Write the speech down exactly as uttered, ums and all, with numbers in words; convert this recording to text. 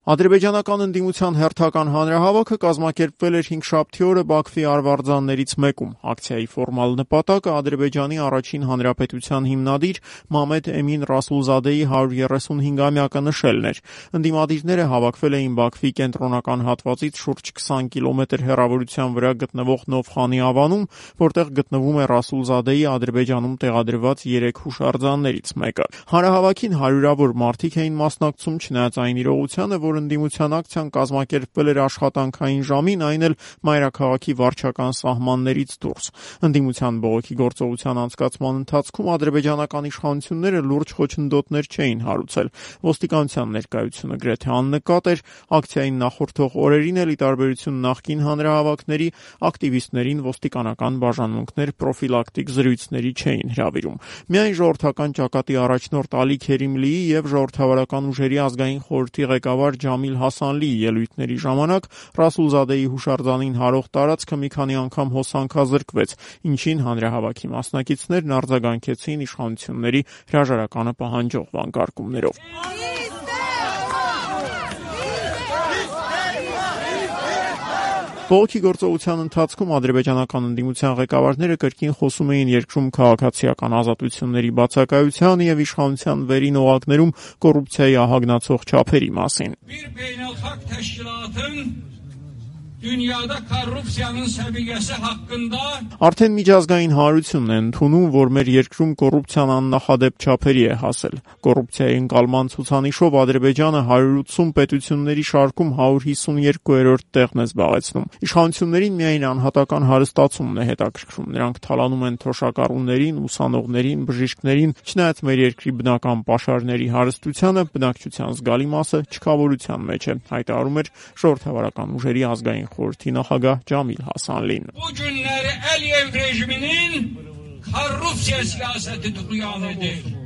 Ադրբեջանական ընդդիմության հերթական հանրահավաքը կազմակերպվել էր հինգշաբթի օրը Բաքվի արվարձաններից մեկում։ Ակցիայի ֆորմալ նպատակը Ադրբեջանի առաջին հանրապետության հիմնադիր Մամեդ Էմին Ռասուլզադեի հարյուր երեսունհինգամյակը նշելն էր։ Ընդդիմադիրները հավաքվել էին Բաքվի կենտրոնական հատվածից շուրջ քսան կիլոմետր հեռավորության վրա գտնվող Նովխանի ավանում, որտեղ գտնվում է Ռասուլզադեի Ադրբեջանում տեղադրված երեք հուշարձաններից մեկը։ Հանրահավաքին հարյուրավոր մարդիկ էին մասնակցում, չնայած այն իրողությանը, որ ընդդիմության ակցիան կազմակերպվել էր աշխատանքային ժամին, այն էլ մայրաքաղաքի վարչական սահմաններից դուրս։ Ընդդիմության բողոքի գործողության անցկացման ընթացքում ադրբեջանական իշխանությունները լուրջ խոչընդոտներ չէին հարուցել։ Ոստիկանության ներկայությունը գրեթե աննկատ էր։ Ակցիային նախորդող օրերին էլ, ի տարբերություն նախկին հանրահավաքների, ակտիվիստներին ոստիկանական բաժանմունքներ պրոֆիլակտիկ զրույցների չէին հրավիրում։ Միայն ժողովրդական ճակատի առաջնորդ Ալի Քերիմլիի եւ ժողովրդավարական ուժերի ազգային խորհրդի ղեկավար Ջամիլ Հասանլիի ելույթների ժամանակ Ռասուլզադեի հուշարձանին հարող տարածքը մի քանի անգամ հոսանքազրկվեց, ինչին հանրահավաքի մասնակիցներն արձագանքեցին իշխանությունների հրաժարականը պահանջող վանկարկումներով։ Բողոքի գործողության ընթացքում ադրբեջանական ընդդիմության ղեկավարները կրկին խոսում էին երկրում քաղաքացիական ազատությունների բացակայության եւ իշխանության վերին օղակներում կոռուպցիայի ահագնացող չափերի մասին։ Dünyada korrupsiyanın səviyyəsi haqqında Արդեն միջազգային հանրությունն է ընդունում, որ մեր երկրում կոռուպցիան աննախադեպ չափերի է հասել։ Կոռուպցիայի ընկալման ցուցանիշով Ադրբեջանը հարյուր ութսուն պետությունների շարքում հարյուր հիսունյոթերորդ տեղն է զբաղեցնում։ Իշխանություններին միայն անհատական հարստացումն է հետաքրքրում։ Նրանք թալանում են թոշակառուներին, ուսանողներին, բժիշկներին, չնայած մեր երկրի բնական պաշարների հարստությանը բնակչության զգալի մասը չքավորության մեջ է, հայտարարում էր ժողովրդավարական ուժերի ազգային խորհրդի նախագահ Ջամիլ Հասանլին։ Bu günləri Əliyev rejiminin korrupsiya siyasəti duyan edir.